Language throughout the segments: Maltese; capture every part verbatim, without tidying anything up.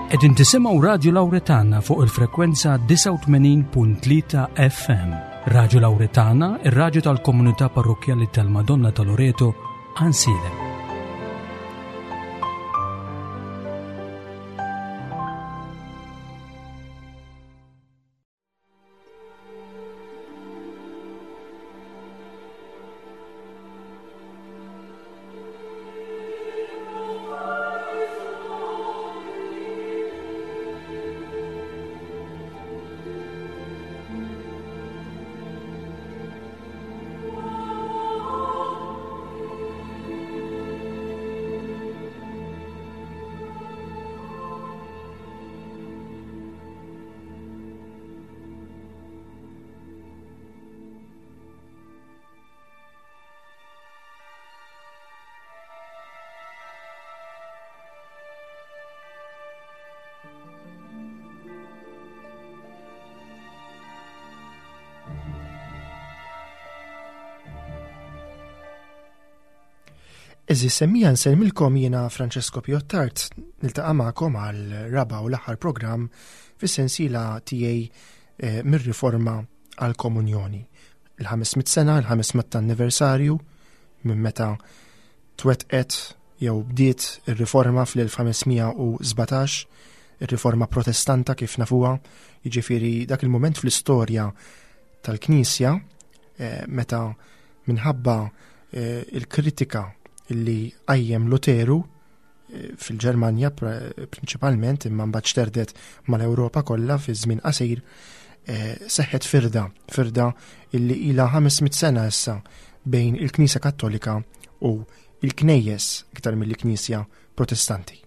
Qegħdin tisimgħu Radio Lauretana fuq il-frekwenza disgħa u tmenin punt tlieta F M. Radio Lauretana, ir-radju tal-komunità parrokkjali tal-Madonna ta' Loreto, Għajnsielem. Eżis semmija nsellmilkom jiena Francesco Piottart, niltaqa' magħkom għal raba' u l-aħħar programm fis-sensiela tiegħi, eh, mir-riforma għal komunjoni. Il-ħames mitt sena, il-ħames mitt anniversarju minn meta twettqet jew bdiet ir-riforma fl-elf ħames mija u sbatax, ir-riforma protestanta kif nafuha, jiġifieri dak il-mument fl-istorja tal-Knisja, eh, meta minħabba, eh, il-kritika illi qajjem Luteru, eh, fil-Ġermanja pr-, prinċipalment, imma mbagħad xterdet mal-Ewropa kollha fi żmien qasir, eh, seħħet firda, firda illi ilha ħames mitt sena issa bejn il-Knisja Kattolika u il-Knejjes iktar mill-Knisja Protestanti.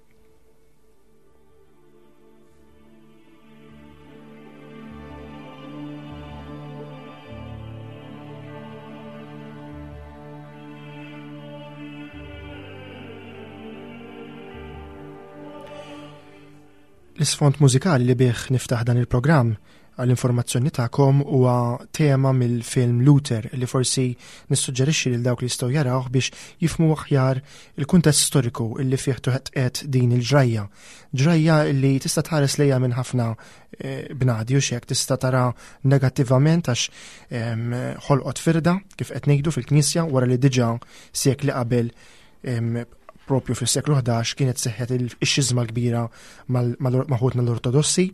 L-isfond mużikali li bih niftaħ dan il-programm għall-informazzjoni tagħkom huwa tema mill-film Luther li forsi nissuġġerixxi lil dawk li jistgħu jarawh biex jifhmu aħjar il-kuntest storiku li fih twettqet din il-ġrajja. Ġrajja li tista' tħares lejha minn ħafna, eh, bnadi u xek, tista' tara negattivament għax, ehm, ħolqot firda kif qed ngħidu fil-Knisja wara li diġà sekli qabel, ehm, propju fis-seklu ħdax kienet seħħet il-, ix-xiżma kbira mal-, mal-, ma' ħutna l-Ortodossi.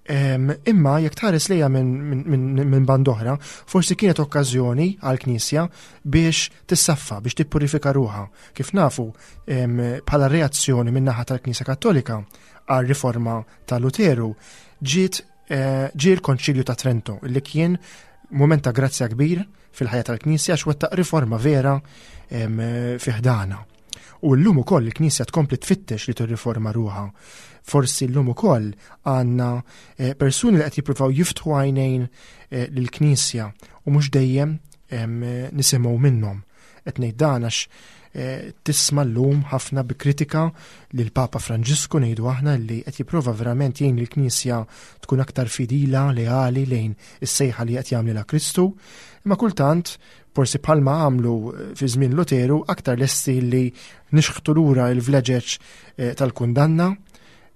Ehm, imma jekk tħares lejha minn, minn, minn, minn band oħra, forsi kienet okkażjoni għall-Knisja biex tissaffa, biex tippurifika ruħha. Kif nafu, ehm, bħala reazzjoni min-naħa tal-Knisja Kattolika għar-riforma ta' Luteru, ġiet, eh, ġie l-Konċilju ta' Trento, li kien mument ta' grazzja kbir fil-ħajja tal-Knisja għax wettaq riforma vera, ehm, fi ħdana. U llum ukoll il-Knisja tkompli tfittex li tirriforma ruħha. Forsi llum ukoll għandna, eh, persuni li qed jippruvaw jiftħu għajnejn, eh, lill-Knisja u mhux dejjem, ehm, nisimgħu minnhom. Qed ngħid dan għax, eh, tisma' llum ħafna bi kritika lil Papa Franġisku ngħidu aħna li qed jipprova verament jgħin lill-Knisja tkun aktar fidila, leali lejn is-sejħa li qed jagħmlilha Kristu, imma kultant forsi bħalma għamlu, eh, fi żmien Luteru aktar lesti li nixħtu lura l-vleġeġ, eh, tal-kundanna,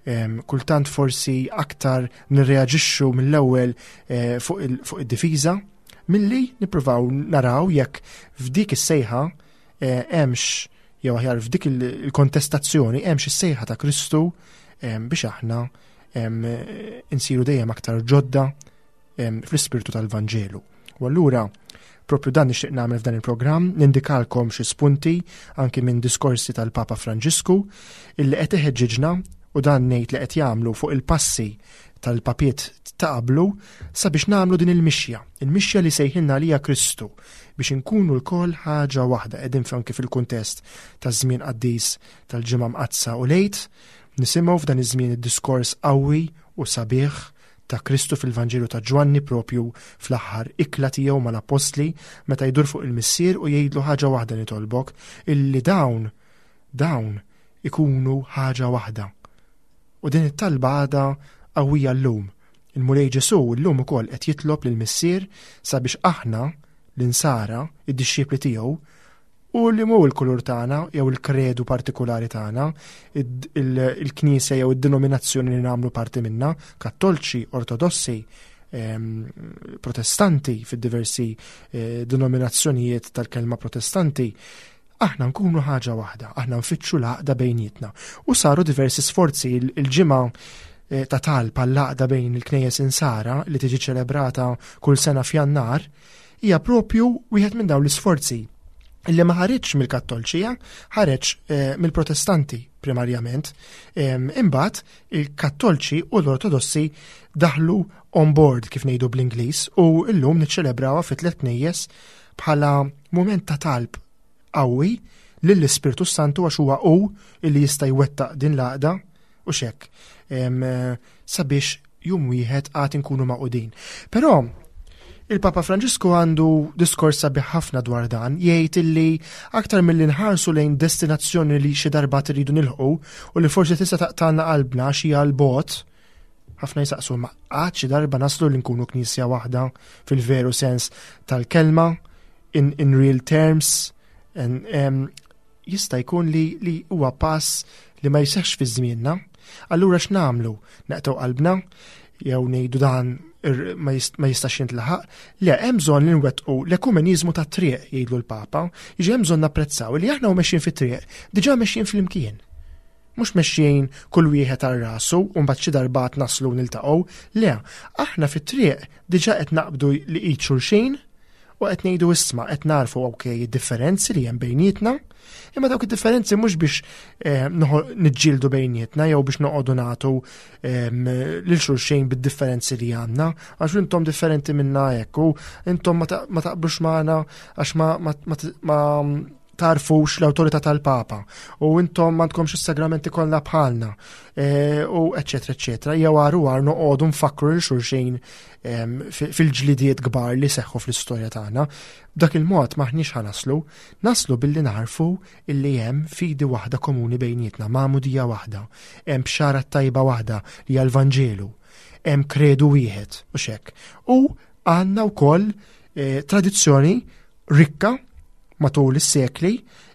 em, kultant forsi aktar nirreaġixxu mill-ewwel, eh, fuq il-, fuq id-difiża milli nippruvaw naraw jekk f'dik is-sejħa, eh, hemmx jew aħjar f'dik il-, il-kontestazzjoni hemmx is-sejħa ta' Kristu, em, biex aħna, em, insiru dejjem aktar ġodda, em, fl-ispirtu tal-Vanġelu. U allura propju dan nixtieq nagħmel f'dan il-programm, nindikalkom xi spunti anki minn diskorsi tal-Papa Franġisku illi qed iħeġġiġna, u dan ngħid li qed jagħmlu fuq il-passi tal-papiet ta' qablu sabiex nagħmlu din il-mixja, il-mixja li sejħilna għalija Kristu biex inkunu lkoll ħaġa waħda. Qegħdin anke fil-kuntest taż-żmien qaddis tal-Ġimgħa Mqaddsa u l-Għid, nisimgħu f'dan iż-żmien id-diskors qawwi u sabiħ ta' Kristu fil-Vanġelu ta' Ġwanni propju fl-aħħar ikla tiegħu mal-Appostli meta jdur fuq il-Missier u jgħidlu ħaġa waħda nitolbok, illi dawn, dawn ikunu ħaġa waħda. U din it-talba għadha qawwija llum. Il-Mulej Ġesu llum ukoll qed jitlob lill-Missier sabiex aħna l-insara, id-dixxipli tiegħu, U li mhu il-kulur tagħna jew il-kredu partikolari tagħna, il-knisja jew id-denominazzjoni li nagħmlu parti minna, kattolċi, ortodossi, protestanti fid-diversi eh, denominazzjonijiet tal-kelma protestanti, aħna nkunu ħaġa waħda, aħna nfittxu l-għaqda bejnietna. U saru diversi sforzi. Il-ġimgħa eh, ta' talb għall-għaqda bejn il-knejjes insara li tiġi ċelebrata kull sena f'Jannar hija propju wieħed minn dawn l-isforzi illi ma ħareġ mill-Kattolċija, ħareġ eh, mill-Protestanti primarjament. Imbagħad il-Kattolċi u l-Ortodossi daħlu on board, kif ngħidu bl-Ingliż, u llum niċċelebrawha fi tliet knejjes bħala mument ta' talb qawwi lill-Ispirtu Santu, għax huwa hu illi jista' jwettaq din l-għaqda u xek sabiex jum wieħed għad inkunu magħqudin. Però il-Papa Franġisku għandu diskors sabiħ ħafna dwar dan, jgħid illi aktar milli nħarsu lejn destinazzjoni li xi darba tridu nilħqu u li forsi tista' taqtalna qalbna xi għal bot, ħafna jisaqsu: ma għad xi darba naslu li nkunu knisja waħda fil-veru sens tal-kelma, in, in real terms, and, um, jista' jkun li, li huwa pass li ma jseħx fi żmienna? Allura x'nagħmlu? Naqtgħu qalbna jew ngħidu dan ma jistax jintlaħaq? Le, hemm bżonn li nwettqu l-ekumeniżmu ta' triq, jgħidlu l-Papa, jiġi hemm bżonn napprezzaw li aħna u mexjin fit-triq, diġà mexjin flimkien. Mhux mexjin kull wieħed għal rasu u mbagħad xi darba naslu niltaqgħu, le, aħna fit-triq diġà qed naqbdu li id xulxin u qed ngħidu: isma', qed narfu, ok, id-differenzi li hemm bejnietna, imma dawk id-differenzi mhux biex eh, niġġieldu bejnietna jew biex noqogħdu nagħtu lil xulxin bid-differenzi li għandna, għax intom differenti minna hekk u intom ma taqblux magħna għax ma tarfux l-autorità tal-Papa u intom m'għandkomx is-sagramenti kollha bħalna e, u eċetera eċetera, jew għaru għar noqogħdu nfakru lil xulxin fil-ġlidiet kbar li seħħu fl-istorja tagħna. B'dak il-mod maħniex ħa naslu, naslu billi narfu illi hemm fidi waħda komuni bejnietna, magħmudija waħda, hemm bxara tajba waħda li hija l-Vanġelu, hemm kredu wieħed u xek. U għandna wkoll eh, tradizzjoni rikka matul is-sekli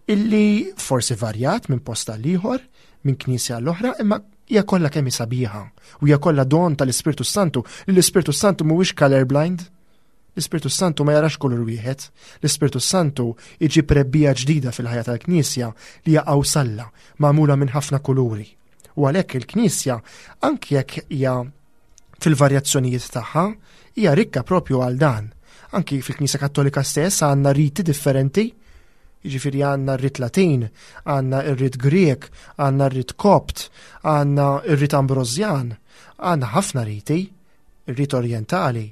illi forsi varjat minn post għal ieħor, minn knisja l-oħra, imma hija kollha kemm sabiħa u hija kollha don tal-Ispirtu Santu. L-Ispirtu Santu mhuwiex colorblind. L-Ispirtu Santu ma jarax kulur wieħed. L-Ispirtu Santu iġib rebbiegħa ġdida fil-ħajja tal-Knisja li hija qawsalla magħmula minn ħafna kuluri. U għalhekk il-Knisja, anke jekk hija fil-varjazzjonijiet tagħha, hija rikka propju għal dan. Anki fil-Knisja Kattolika stess għandna riti differenti, jiġifieri għandna r-rit Latin, għandna r-rit Grek, għandna r-rit Kopt, għandna r-rit Ambrosjan, għandna ħafna riti, ir-rit Orientali,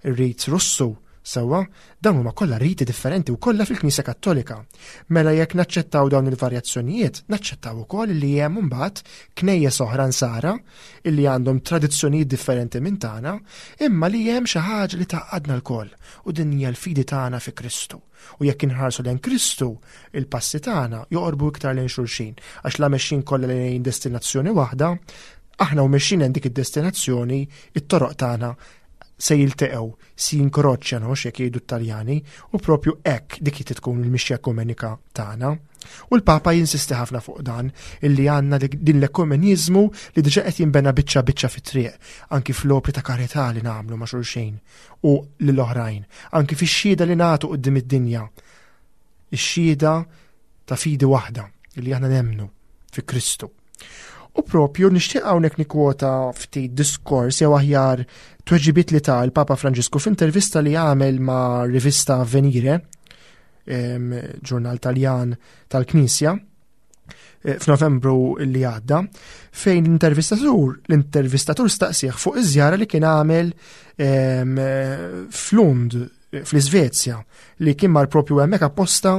ir-rit Russu, sewwa, dawn huma kollha riti differenti u kollha fil-Knisja Kattolika. Mela jekk naċċettaw dawn il-varjazzjonijiet, naċċettaw ukoll li hemm imbagħad knejjes oħra nsara illi għandhom tradizzjonijiet differenti minn tagħna, imma li hemm xi ħaġa li tgħaqqadna lkoll u din hija l-fidi tagħna fi Kristu. U jekk inħarsu lejn Kristu, il-passi tagħna joqorbu iktar lejn xulxin, għax la mexjin kollha lejn destinazzjoni waħda, aħna u mexjin lejn dik id-destinazzjoni, it-toroq tagħna se jilteqgħu, si jinkroċjano, x'jekk jgħidu t-Taljani, u propju hekk dik tkun il-mixja ekumenika tagħna. U l-Papa jinsisti ħafna fuq dan, illi għandna din l-ekumeniżmu li diġà qed jinbena biċċa biċċa fit-triq, anki fl-opri ta' karità li nagħmlu ma' xulxin u lill-oħrajn, anki fix-xhieda li nagħtu quddiem id-dinja. Ix-xhieda ta' fidi waħda illi aħna nemmnu fi Kristu. U propju nixtieq hawnhekk nikkwota ftit diskors, jew aħjar tweġibiet, li ta l-Papa Franġisku f'intervista li għamel ma' rivista Avvenire, ġurnal Taljan tal-Knisja, eh, f'Novembru li għadda, fejn l-intervistatur l-intervistatur staqsih fuq iż-żjara li kien għamel f'Lund fl-Iżvezja, li kien mar propju hemmhekk apposta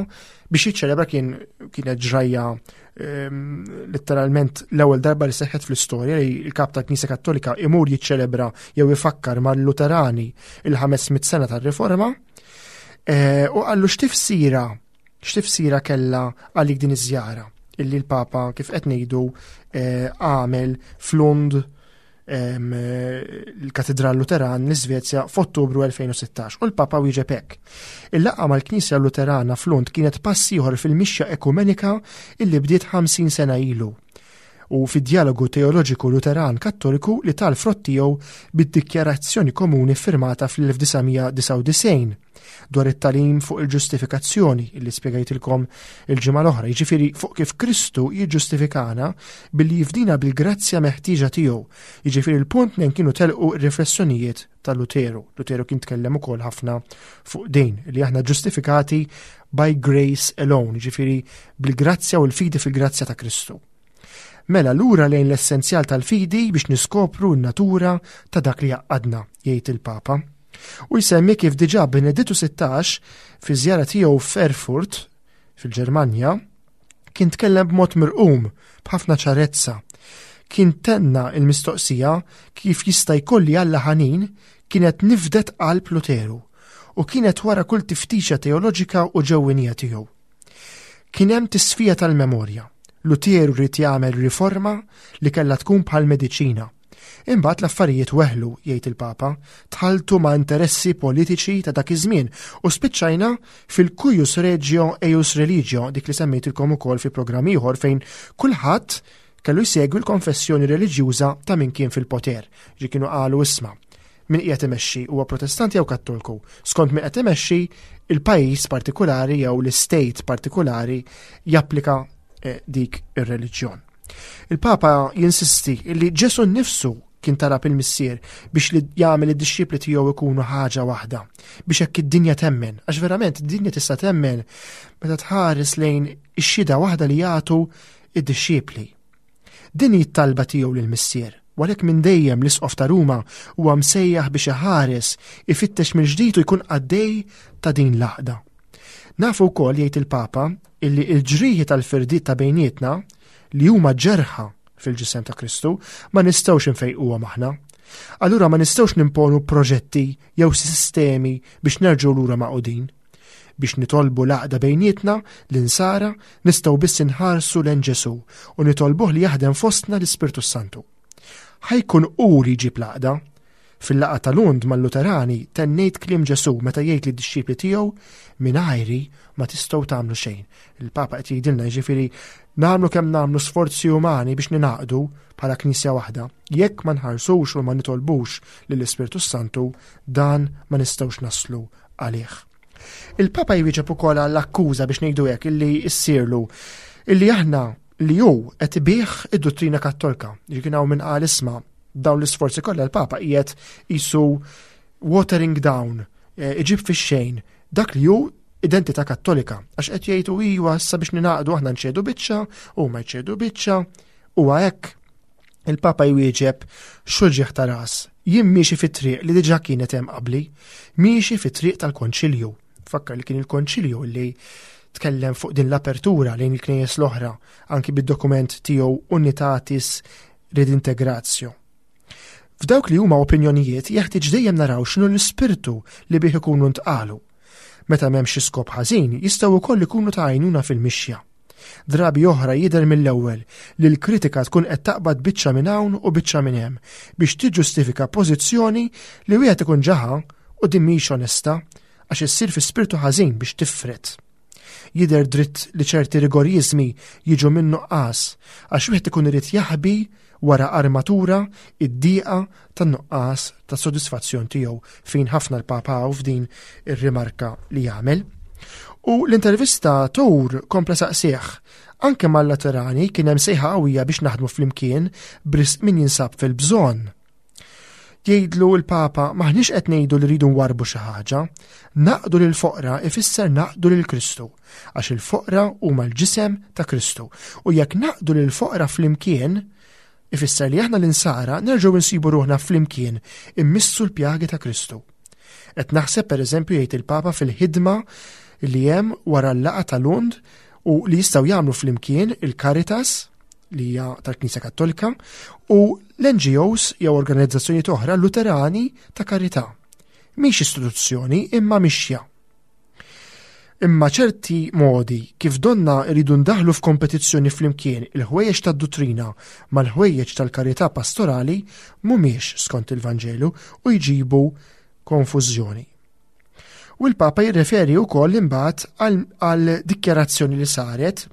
biex jiċċelebra. kien kienet ġrajja letteralment l-ewwel darba li seħħet fl-istorja li l-kap tal-Knisja Kattolika imur jiċċelebra jew ifakkar mal-Luterani il-ħames mitt sena tar-Riforma. E, u qallu: x'tifsira x'tifsira kellha għalik din iż-żjara illi l-Papa, kif qed ngħidu, e, għamel f'Lund? l-Katedral Luteran l-Iżvezja f'Ottubru elfejn u sittax u l-Papa wieġeb hekk. Il-laqgħa mal-Knisja Luterana f'Lund kienet pass ieħor fil-mixja ekumenika illi bdiet ħamsin sena ilu u fid-dialogu teoloġiku Luteran Kattoliku li ta l-frott tiegħu bid-dikjarazzjoni komuni firmata fl-elf disa' mija disgħa u disgħin dwar it-tagħlim fuq il-ġustifikazzjoni illi spjegajtilkom il-ġimgħa l-oħra, jiġifieri fuq kif Kristu jiġġustifikana billi jifdina bil-grazzja meħtieġa tiegħu. Jiġifieri l-punt minn kienu telqu r-riflessjonijiet ta' Luteru. Luteru kien tkellem ukoll ħafna fuq din li aħna ġustifikati by grace alone, jiġifieri bil-grazzja u l-fidi fil-grazzja ta' Kristu. Mela lura lejn l-essenzjal tal-fidi biex niskopru n-natura ta' dak li jgħaqqadna, jgħid il-Papa. U jsemmi kif diġà Benedittu sittax fi żjara tiegħu f'Erfurt fil-Ġermanja kien tkellem b'mod mirqum b'ħafna ċarezza. Kien tenna il-mistoqsija kif jista' jkolli Alla ħanin kienet nifdet qalb Luteru u kienet wara kull tiftixa teoloġika u ġewwinija tiegħu. Kien hemm tisfija tal-memorja. Luteru ried jagħmel riforma li kellha tkun bħal mediċina. Imbagħad l-affarijiet weħlu, jgħid il-Papa, tħaltu ma' interessi politiċi ta' dak iż-żmien u spiċċajna fil-cuius regio eius religio, dik li semmejtilkom ukoll fi programm ieħor fejn kulħadd kellu jsegwi l-konfessjoni reliġjuża ta' min kien fil-poter. Ġi kienu qalu isma' min qiegħed imexxi huwa Protestanti jew Kattolku. Skont min qed imexxi il-pajjiż partikolari jew l-istate partikolari japplika eh, dik ir-reliġjon. Il-Papa jinsisti li Ġesu nnifsu kien talab il-Missier biex li jagħmel id-dixxipli tiegħu ikunu ħaġa waħda, biex hekk id-dinja temmen, għax verament id-dinja tista' temmen meta tħares lejn ix-xhieda waħda li jagħtu id-dixxipli. Din hi t-talba tiegħu lill-Missier, u għalhekk minn dejjem l-Isqof ta' Ruma huwa msejjaħ biex iħares, ifittex mill-ġdid u jkun qaddej ta' din l-għaqda. Nafu wkoll, jgħid il-Papa, illi l-ġrieħi tal-firdiet ta' bejnietna li huma ġerħa fil-ġisem ta' Kristu ma nistgħux infejquhom aħna. Allura ma nistgħux nimponu proġetti jew sistemi biex nerġgħu lura magħqudin. Biex nitolbu l-għaqda bejnietna l-insara nistgħu biss inħarsu lejn Ġesu u nitolbuh li jaħdem fostna l-Ispirtu Santu. Ħa jkun hu li jġib l-għaqda. Fil-laqgħa ta' Lund mal-Luterani tennejt kliem Ġesu meta jgħid lid-dixxipli tiegħu mingħajri ma tistgħu tagħmlu xejn. Il-Papa qed jgħidilna jiġifieri nagħmlu kemm nagħmlu sforzi umani biex ninaqdu bħala knisja waħda. Jekk ma nħarsux u ma nitolbux lill-Ispirtu Santu, dan ma nistgħux naslu għalih. Il-Papa jwieġeb ukoll għall-akkuża, biex ngħidu hekk, illi ssirlu illi aħna li hu qed ibigħ id-dottrina Kattolika. Kien hawn min qal isma' dawn l-isforzi kollha l-Papa qiegħed qisu watering down, eh, iġib fix-xejn dak li hu identità Kattolika. Għax qed jgħidu iwa issa biex ninaqdu aħna nċedu biċċa u ma jċedu biċċa u hekk. Il-Papa jwieġeb x'uġigħ ta' ras. Jien miexi fit-triq li diġà kienet hemm qabli, miexi fit-triq tal-Konċilju. Fakkar li kien il-Konċilju li tkellem fuq din l-apertura lejn il-knejjes l-oħra, anki bid-dokument tiegħu Unitatis Redintegratio. F'dawk li huma opinjonijiet jeħtieġ dejjem naraw x'inhu l-ispirtu li bih ikunu ntqalu. Meta m'hemmx skop ħażin, jistgħu wkoll ikunu ta' għajnuna fil-mixja. Drabi oħra jidher mill-ewwel li l-kritika tkun qed taqbad biċċa minn hawn u biċċa minn hemm biex tiġġustifika pożizzjoni li wieħed ikun ġaħa u din mhix onesta għax issir fi spirtu ħażin biex tifret. Jidher dritt li ċerti rigorizmi jiġu minn nuqqas għax wieħed ikun irid jaħbi wara armatura id-diqa tan-nuqqas ta' sodisfazzjon tiegħu, fejn ħafna l-Papa f'din ir-rimarka li jagħmel. U l-intervistatur kompla saqsih, anke mal-Luterani kien hemm sejħa qawwija biex naħdmu flimkien b'risq min jinsab fil-bżonn. Jgħidlu l-Papa, maħniex qed ngħidu li rridu nwarbu xi ħaġa, naqdu lil foqra ifisser naqdu lil Kristu, għax il-foqra huma l-ġisem ta' Kristu. U jekk naqdu lil foqra flimkien, ifisser li aħna l-insara nerġgħu nsibu ruħna flimkien immissu l-pjagi ta' Kristu. Qed naħseb pereżempju, jgħid il-Papa, fil-ħidma li hemm wara l-laqgħa ta' Lund u li jistgħu jagħmlu flimkien il-Caritas li hija tal-Knisja Kattolika u l-N G Os jew organizzazzjonijiet oħra Luterani ta' karità. Mhix istituzzjoni imma mixja. Imma ċerti modi kif donna rridu ndaħlu f'kompetizzjoni flimkien il-ħwejjeġ tad-duttrina mal-ħwejjeġ tal-karità pastorali mhumiex skont il-Vanġelu u jġibu konfużjoni. U l-Papa jirreferi wkoll imbagħad għal dikjarazzjoni li saret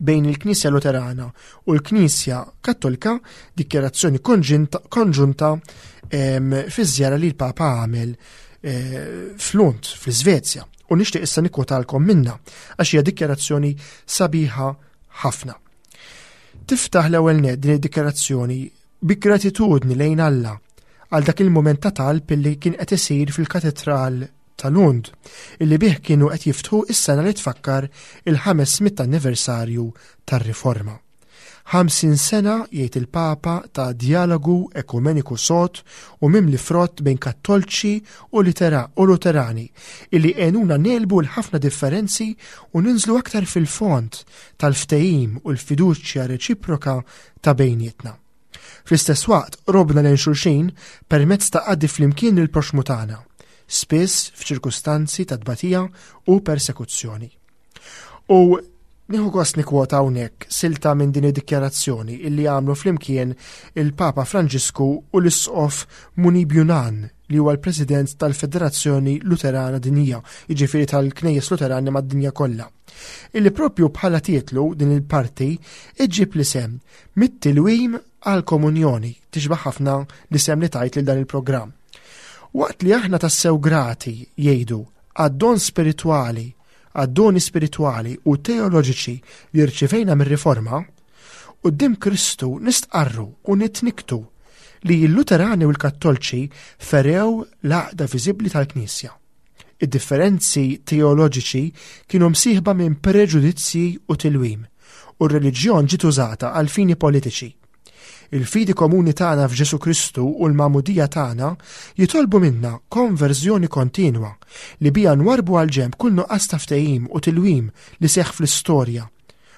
bejn il-Knisja Luterana u l-Knisja Kattolika, dikjarazzjoni konġunta fiż-żjara li l-Papa għamel eh, f'Lund, fl-Iżvezja. U nixtieq issa nikkwotalkom minna għax hija dikjarazzjoni sabiħa ħafna. Tiftaħ l-ewwel nett din id-dikjarazzjoni bi gratitudni lejn Alla għal dak il-mument ta' talb illi kien qed isir fil-Katedral ta' Lund, illi bih kienu qed jiftħu is-sena li tfakkar il-ħames mitt anniversarju tar-Riforma. Ħamsin sena, jgħid il-Papa, ta' dialogu ekumeniku sod u mimli frott bejn kattolċi u litera-, u luterani, illi għenuna negħlbu l-ħafna differenzi u ninżlu aktar fil-fond tal-ftehim u l-fiduċja reċiproka ta' bejnietna. Fl-istess waqt, qrobna lejn xulxin permezz ta' qaddi flimkien il-proxmu tagħna, spiss f'ċirkustanzi ta' tbatija u persekuzzjoni. U nieħu gost nikkwota hawnhekk silta minn din id-dikjarazzjoni illi għamlu flimkien il-Papa Franġisku u l-Isqof Munib Younan, li huwa l-President tal-Federazzjoni Luterana Dinjija, jiġifieri tal-Knejjes Luterani mad-dinja kollha. Illi propju bħala titlu din il-parti iġġib l-isem mit-tilwim għal-komunjoni, tixbaħ ħafna l-isem li tajt lil dan il-programm. Waqt li aħna tassew grati, jgħidu, għad-don spiritwali, għad-doni spiritwali u teoloġiċi li rċivejna mir-Riforma, quddiem Kristu nistqarru u nitniktu li l-Luterani u l-Kattolċi ferew l-għaqda viżibbli tal-Knisja. Id-differenzi teoloġiċi kienu msieħba minn preġudizzji u tilwim, u r-reliġjon ġiet użata għal fini politiċi. Il-fidi komuni tagħna f'Ġesu Kristu u l-magħmudija tagħna jitolbu minna konverżjoni kontinwa li bija nwarbu għal ġenb kull nuqqas ta' ftehim u tilwim li seħħ fl-istorja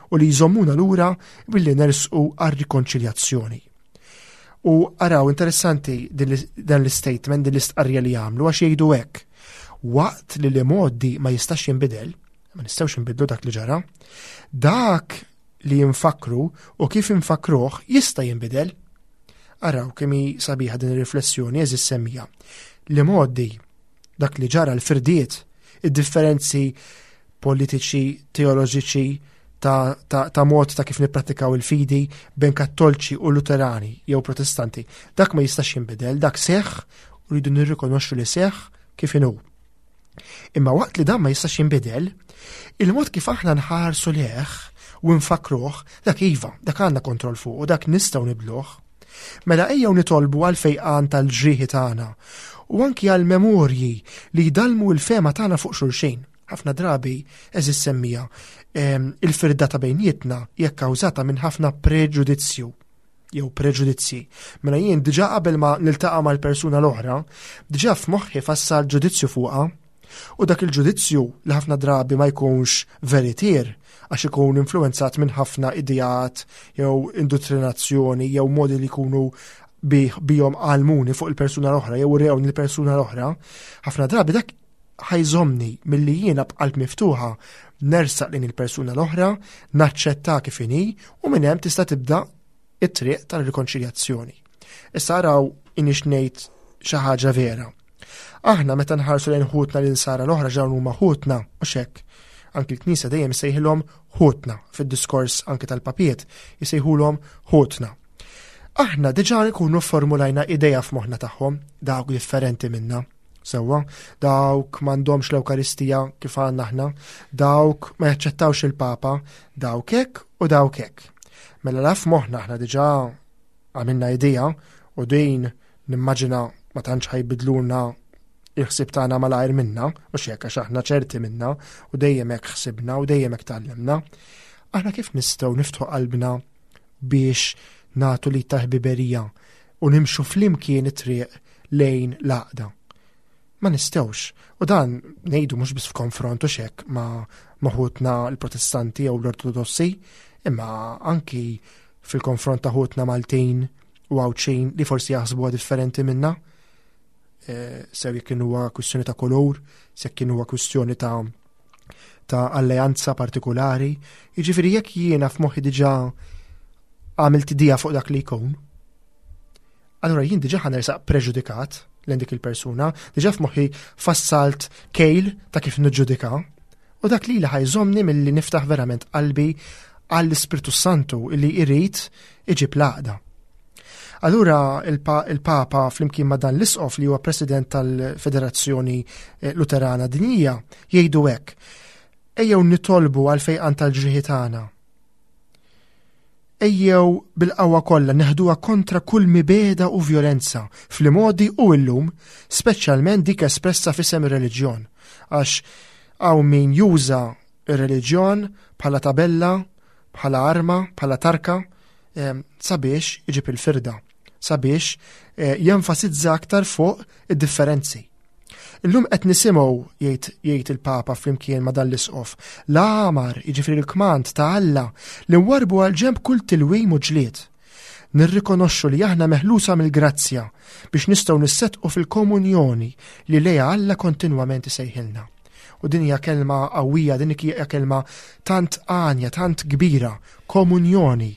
u li jżommuna lura billi nersqu għar-rikonċiljazzjoni. U araw interessanti din l-, dan l-statement, din l-istqarrija li jagħmlu, għax jgħidu hekk. Waqt li l-modi ma jistax jinbidel, ma nistgħux inbidlu dak li ġara, dak li jinfakru u kif infakruh jista' jinbidel. Araw kemm hi sabiħa din ir-riflessjoni, eżis semmija. Li modi, dak li ġara, l-firdiet, id-differenzi politiċi, teoloġiċi, ta', ta', ta' mod ta' kif nippratikaw il-fidi bejn kattolċi u luterani jew protestanti, dak ma jistax jinbidel, dak seħħ u rridu nirrikonoxxu li seħħ kif inhu. Imma waqt li dan ma jistax jinbidel, il-mod kif aħna nħarsu leħ u nfakruh, dak iva, dak għandna kontroll fuq u dak nistgħu nibdluh. Mela ejjew nitolbu għal fejqan tal-ġrieħi tagħna u anki għal memorji li jdalmu l-fema tagħna fuq xulxin. Ħafna drabi, eżis semmija, em, il-firda ta' bejnietna hija kkawżata minn ħafna preġudizzju jew preġudizzji. Mela jien diġà qabel ma niltaqa' mal-persuna l-oħra, diġà f'moħħi fassal ġudizzju fuqha. U dak il-ġudizzju li ħafna drabi ma jkunx veritier, għax ikun influenzat minn ħafna ideat jew indottrinazzjoni jew modi li jkunu bi-, bihom għalmuni fuq il-persuna l-oħra jew rewni l-persuna l-oħra, ħafna drabi dak ħajżomni milli jiena b'qalb miftuħa nersaq lejn il-persuna l-oħra, naċċetta kif inhi u minn hemm tista' tibda it-triq tal-rikonċiljazzjoni. Issa araw inix ngħid xi ħaġa vera. Aħna meta nħarsu lejn ħutna l-insara l-oħra ġew huma ħutna u xekk. Anki l-Knisja dejjem isejħilhom ħutna fid-diskors anki tal-papiet isejħulhom ħutna. Aħna diġà nkunu formulajna idea f'moħħna tagħhom, dawk differenti minna. Sewwa, dawk m'għandhomx l-Ewkaristija kif għandna aħna, dawk ma jaċċettawx il-Papa, dawk hekk u dawk hekk. Mela laf moħħna aħna diġà għamilna idea u din nimmaġina ma tantx ħajbidlulna il-ħsieb tagħna malajr minna, u x'hekk għax aħna ċerti minna u dejjem hekk ħsibna u dejjem hekk tgħallimna. Aħna kif nistgħu niftħu qalbna biex nagħtu li ta' ħbiberija u nimxu flimkien it-triq lejn l-għaqda? Ma nistgħux. U dan ngħidu mhux biss f'konfront u x'hekk ma' ħutna l-Protestanti jew l-Ortodossi, imma anki fil-konfront ta' ħutna Maltin u Għawdxin li forsi jaħsbuha differenti minna. Eh, sew jekk huwa kwistjoni ta' kolor, sew jekk huwa kwistjoni ta' ta' alleanza partikulari. Jiġifieri jekk jiena f'moħħi diġà għamilt idea fuq dak li jkun, allura jien diġà ħa nersaq preġudikat lejn dik il-persuna, diġà f'moħħi fassalt kejl ta' kif niġġudika, u dak li ħa jżommni milli niftaħ verament qalbi għall-Ispirtu Santu illi jrid iġib l-għaqda. Allura il-Papa flimkien ma' dan l-Isqof li huwa President tal-Federazzjoni eh, Luterana Dinjija jgħidu hekk: Ejjew nitolbu għal fejqan tal-ġrieħi tagħna. Ejjew bil-qawwa kollha neħduha kontra kull mibegħda u vjolenza fl-modi u llum, speċjalment dik espressa f'isem ir-reliġjon. Għax hawn min juża ir-reliġjon bħala tabella, bħala arma, bħala tarka, sabiex iġib il-firda, sabiex eh, jenfasizza aktar fuq id-differenzi. Illum qed nisimgħu, jgħid jgħid il-Papa flimkien ma' dan l-isqof, l-amar, jiġifieri l-kmand ta' Alla li nwarbu għal ġenb kull tilwim u ġlied. Nirrikonoxxu li aħna meħlusa mill-grazzja biex nistgħu nissetqu fil-komunjoni li lejha Alla kontinwament isejħilna. U din hija kelma qawwija, din hija kelma tant għanja, tant kbira, komunjoni.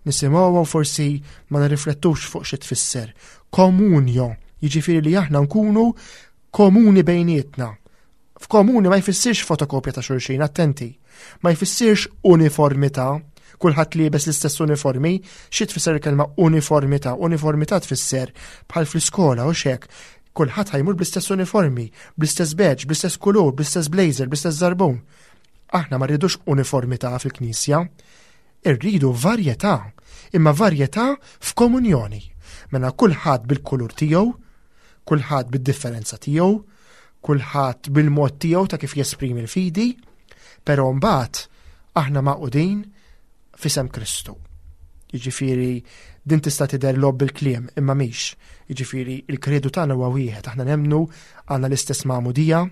Nisimgħuha u forsi ma nirriflettux fuq xi tfisser. Komunjo, jiġifieri li aħna nkunu komuni bejnietna. F'komuni ma jfissirx fotokopja ta' xulxin, attenti. Ma jfissirx uniformità, kulħadd liebes l-istess uniformi. Xi tfisser il-kelma uniformità? Uniformità tfisser bħal fl-iskola u xek, kulħadd ħa jmur bl-istess uniformi, bl-istess badge, bl-istess kulur, bl-istess blazer, bl-istess żarbun. Aħna ma rridux uniformità fil-Knisja, irridu varjetà, imma varjetà f'komunjoni. Mela kulħadd bil-kulur tiegħu, kulħadd bid-differenza tiegħu, kulħadd bil-mod tiegħu ta' kif jesprimi l-fidi, però mbagħad aħna magħqudin f'isem Kristu. Jiġifieri din tista' tidher logħob bil-kliem, imma mhix. Jiġifieri il-kredu tagħna huwa wieħed, aħna nemmnu, għandna l-istess magħmudija,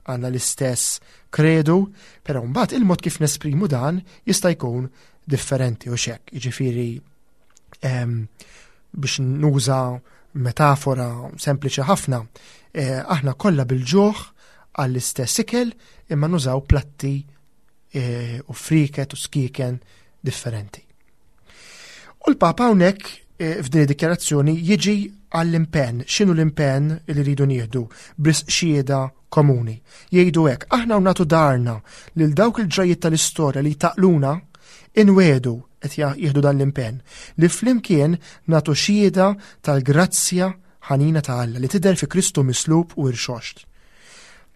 għandna l-istess kredu, però mbagħad il-mod kif nesprimu dan jista' jkun differenti u xek. Jiġifieri biex nuża metafora sempliċi ħafna, eh, aħna kollha bil-ġuħ għall-istess ikel imma nużaw platti eh, u friket u skiken differenti. U l-Papa hawnhekk eh, f'din id-dikjarazzjoni jiġi għall-impenn. X'inhu l-impenn li rridu nieħdu b'risq xhieda komuni? Jgħidu hekk: aħna nagħtu daharna lil dawk il-ġrajiet tal-istorja li taqluna, inwedu, qed jieħdu dan l-impenn, li flimkien nagħtu xhieda tal-grazzja ħanina ta' Alla li tidher fi Kristu mislub u irxoxt.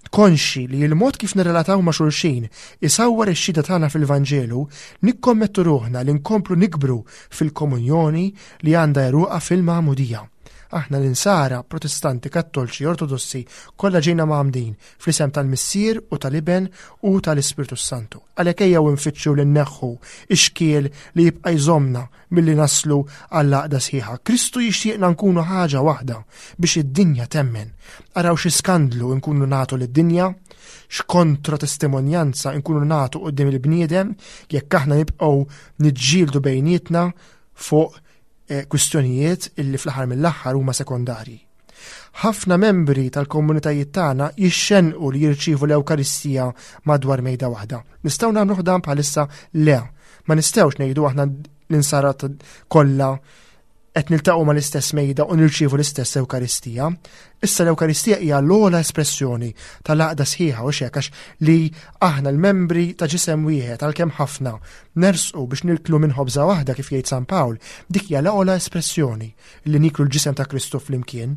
Konxi li l-mod kif nirrelataw ma' xulxin isawwar ix-xhieda tagħna fil-Vanġelu, nikkommettu ruħna li nkomplu nikbru fil-komunjoni li għandha għeruqha fil-magħmudija. Aħna l-insara, Protestanti, Kattolċi, Ortodossi, kollha ġejna mgħammdin fl-isem tal-Missier u tal-Iben u tal-Ispirtu Santu. Għalhekk ejjew nfittxu li nneħħu ix-xkiel li jibqa' jżommna milli naslu għall-għaqda sħiħa. Kristu jixtieqna nkunu ħaġa waħda biex id-dinja temmen. Araw xi skandlu nkunu nagħtu lid-dinja, x'kontra testimonjanza nkunu nagħtu quddiem il-bniedem jekk aħna nibqgħu niġġieldu bejnietna fuq, eh, kwistjonijiet illi fl-aħħar mill-aħħar huma sekondarji. Ħafna membri tal-komunitajiet tagħna jixxenqu li jirċievu l-Ewkaristija madwar mejda waħda. Nistgħu nagħmlu dan bħalissa? Le. Ma nistgħux ngħidu aħna l-insara kollha qed niltaqgħu mal-istess mejda u nirċievu l-istess Ewkaristija. Issa l-Ewkaristija hija l-ogħla espressjoni tal-għaqda sħiħa u xek, għax li aħna l-membri ta' ġisem wieħed għalkemm ħafna nersqu biex nirklu minn ħobża waħda kif jgħid San Pawl, dik hija l-ogħla espressjoni li niklu l-ġisem ta' Kristu flimkien.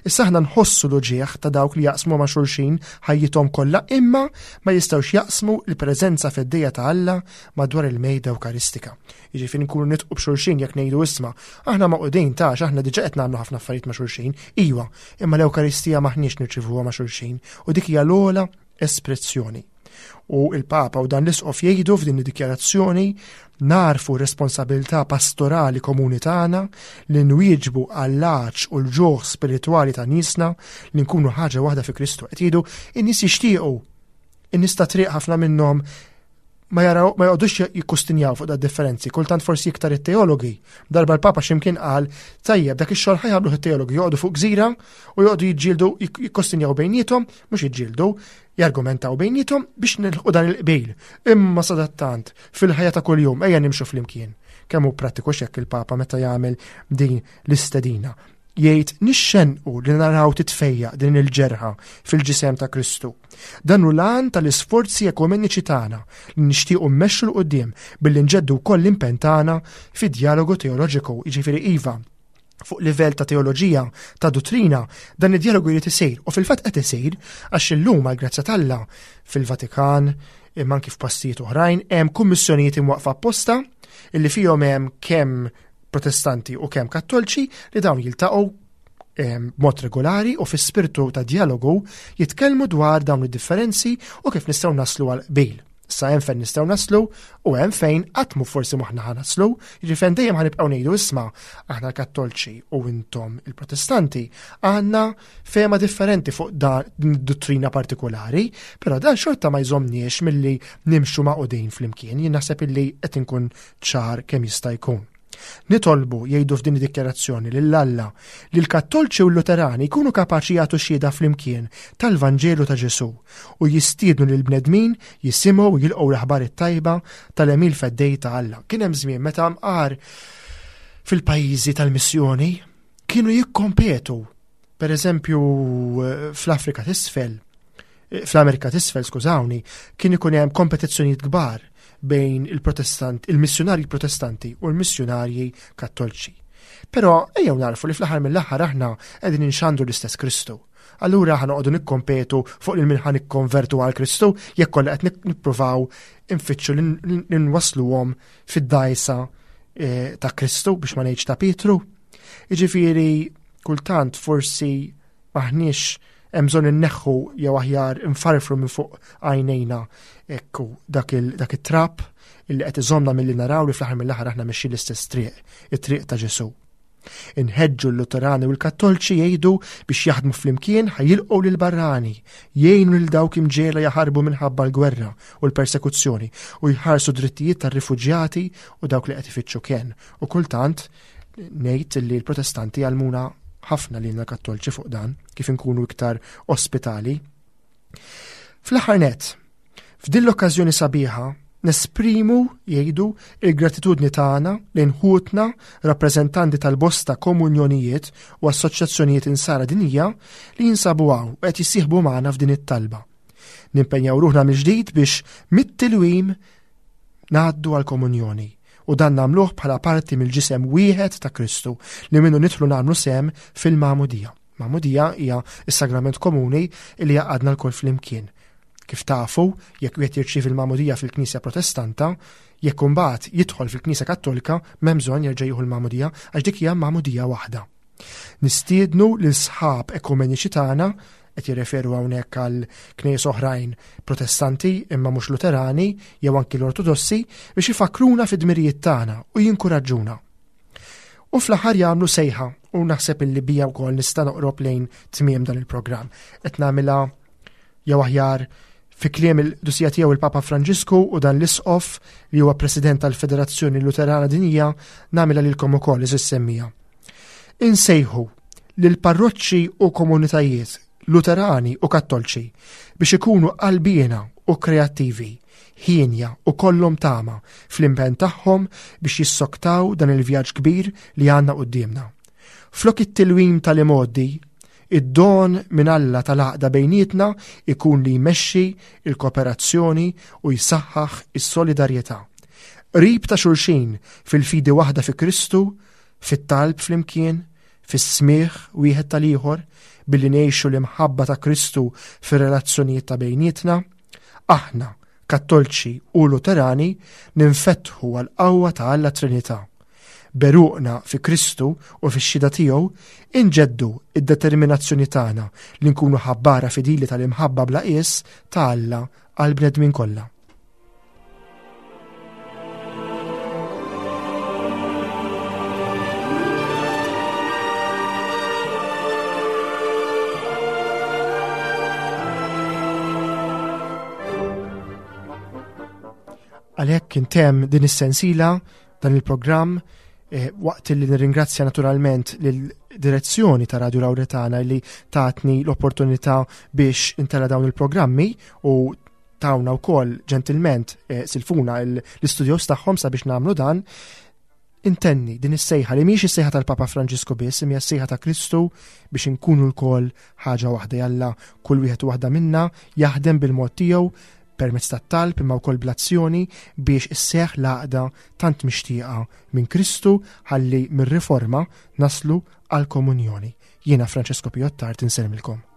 Issa aħna nħossu l-uġieħ ta' dawk li jaqsmu ma' xulxin ħajjithom kollha imma ma jistgħux jaqsmu l-preżenza feddejja ta' Alla madwar il-mejda Ewkaristika. Jiġifieri nkunu nitqu b'xulxin jekk ngħidu isma' aħna maqudin ta' aħna diġà qed nagħmlu ħafna affarijiet ma' xulxin, iwa, imma l-Ewkaristija maħniex nirċivuha ma' xulxin u dik hija l-ogħla espressjoni. U il-Papa u dan l-Isqof jgħidu f'din id-dikjarazzjoni narfu responsabilità pastorali komuni tagħna li nwieġbu għall-għatx u l-ġuħ spiritwali ta' niesna li nkunu ħaġa waħda fi Kristu. Qed jgħidu in-nies jixtiequ, in-nies ta' triq ħafna minnhom ma jaraw ma joqgħodux jikkustinjaw fuq da differenzi, kultant forsi iktar it-teologi. Darba l-Papa x'imkien qal tajjeb dak ix-xogħol ħa jagħmluh it-teologi, joqogħdu fuq gżira u joqogħdu jiġġieldu jikkostinjaw bejniethom, mhux jiġġieldu, jargumentaw bejniethom biex nilħqu dan il-qbil. Imma sadattant fil-ħajja ta' kuljum ejja nimxu flimkien. Kemm hu prattiku x'hekk il-Papa meta jagħmel din l-istedina. Jgħid nixxenqu li naraw titfejjaq din il-ġerħa fil-ġisem ta' Kristu. Dan hu l-għan tal-isforzi ekumeniċi tagħna li nixtiequ mmexxu 'l quddiem billi nġeddu wkoll l-impenn tagħna fid-djalogu teoloġiku, jiġifieri iva, fuq livell ta' teoloġija, ta' duttrina, dan id-djalogu jrid isir u fil-fatt qed isir għax illum għall-grazzja t'Alla fil-Vatikan imma anki f'postijiet oħrajn hemm kummissjonijiet imwaqfa apposta illi fihom hemm kemm Protestanti u kemm Kattolċi li dawn jiltaqgħu b'mod regolari u fi spirtu ta' djalogu jitkellmu dwar dawn id-differenzi u kif nistgħu naslu għal qbil. Sa hemm fejn nistgħu naslu u hemm fejn qatt mhu forsi moħħna ħa naslu, jiġifieri fejn dejjem ħanibqgħu ngħidu isma' aħna l-Kattolċi u intom il-Protestanti għandna fehma differenti fuq dan id-duttrina partikolari, però dan xorta ma jżomniex milli nimxu maqudin flimkien. Jien naħseb illi qed inkun ċar kemm jista' jkun. Nitolbu, jgħidu f'din id-dikjarazzjoni, lil Alla li l-Kattolċi u l-Luterani jkunu kapaċi jagħtu xhieda flimkien tal-Vanġelu ta' Ġesù u jistiednu lil bnedmin jisimgħu u jilqgħu l-aħbar it-tajba tal-għemil feddej ta' Alla. Kien hemm żmien meta mqar fil-pajjiżi tal-missjoni kienu jikkompetu, per eżempju fl-Afrika t'isfel, fl-Amerika t'isfel, skużawni, kien ikun hemm kompetizzjonijiet kbar bejn il-Protestant, il-missjunarji protestanti u l-missjunarji kattolċi. Però ejjew narfu li fl-aħħar mill-aħħar aħna qegħdin inxandru l-istess Kristu. Allura aħna noqogħdu nikkompetu fuq lil min ħa nikkonvertu għal Kristu jekk kollha qed nippruvaw infittxu li nwasluhom fid-dgħajsa ta' Kristu biex ma ngħidx ta' Pietru. Jiġifieri kultant forsi maħniex hemm bżonn inneħħu jew aħjar infarfru minn fuq għajnejna ekku dak it-trap illi qed iżommna milli naraw li fl-aħħar mill-aħħar aħna mexxin l-istess triq, it-triq ta' Ġesù. Inħeġġu l-Luterani u l-Kattolċi jgħidu biex jaħdmu flimkien ħajilqgħu lil barrani, jgħinu lil dawk imġiegħla jaħarbu minħabba l-gwerra u l-persekuzzjoni u jħarsu drittijiet tar-rifuġjati u dawk li qed ifittxu kenn. U kultant ngħid li l-Protestanti għalmuna ħafna lilna Kattolċi fuq dan, kif inkunu iktar ospitali. Fl-aħħar nett, f'din l-okkażjoni sabiħa nesprimu, jgħidu, il-gratitudni tagħna lejn ħutna rappreżentanti tal-bosta komunjonijiet u assoċjazzjonijiet insara dinjija li jinsabu hawn u qed jissieħbu magħna f'din it-talba. Nimpenjaw ruħna mill-ġdid biex mit-tilwim ngħaddu għall-komunjoni u dan nagħmluh bħala parti mill-ġisem wieħed ta' Kristu li minnu nidħlu nagħmlu sehem fil-magħmudija. Magħmudija hija s-sagrament komuni li jaqadna lkoll flimkien. Kif tafu, jekk wieħed jirċievi l-magħmudija fil-Knisja Protestanta, jekk imbagħad jidħol fil-Knisja Kattolika, m'hemm bżonn jerġa' jieħu l-magħmudija għax dik hija magħmudija waħda. Nistiednu lil sħab ekumeniċi tagħna, qed jirreferu hawnhekk għal knejjes oħrajn Protestanti imma mhux Luterani jew anki l-Ortodossi, biex ifakruna fid-dmirijiet tagħna u jinkuraġġuna. U fl-aħħar jagħmlu sejħa u naħseb illi bija wkoll nista' noqrob lejn tmiem dan il-programm. Qed nagħmilha jew aħjar fi kliem il-qdusija tiegħu il-Papa Franġisku u dan l-Isqof li huwa President tal-Federazzjoni Luterana Dinjija, nagħmilha lilkom ukoll iżis semmija. Insejħu lil parroċċi u komunitajiet Luterani u Kattolċi biex ikunu qalbiena u kreattivi, ħienja u kollhom tama fl-impenn tagħhom biex jissoktaw dan il-vjaġġ kbir li għandna quddiemna. Flok it-tilwim tal-imgħoddi, id-don minn Alla tal-għaqda bejnietna ikun li jmexxi il-kooperazzjoni u jsaħħaħ is-solidarjetà. Qrib ta' xulxin fil-fidi waħda fi Kristu, fit-talb flimkien, fis-smigħ wieħed tal-ieħor, billi ngħixu l-imħabba ta' Kristu fir-relazzjonijiet ta' bejnietna, aħna, Kattolċi u Luterani, ninfetħu għall-qawwa ta' Alla Trinità. Beruqna fi Kristu u fix-xhieda tiegħu inġeddu id-determinazzjoni tagħna li nkunu ħabbara fidili tal-imħabba bla qies ta' Alla għall-bnedmin kollha. Hawnhekk intemm din is-sensila, dan il-programm, eh, waqt li nirringrazzja naturalment lil-direzzjoni ta' Radio Lauretana li tatni l-opportunità biex intella dawn il-programmi u tawna wkoll ġentilment eh, silfuna l-istudios tagħhom sabiex nagħmlu dan. Intenni din is-sejħa li mhijiex is-sejħa tal-Papa Franġisku biss, imma s-sejħa ta' Kristu biex inkunu lkoll ħaġa waħda. Jalla kull wieħed u waħda minna jaħdem bil-mod tiegħu permezz tat-talb imma wkoll bl-azzjoni biex isseħħ l-għaqda tant mixtieqa minn Kristu ħalli mir-riforma naslu għal komunjoni. Jiena Francesco Piottart insellmilkom.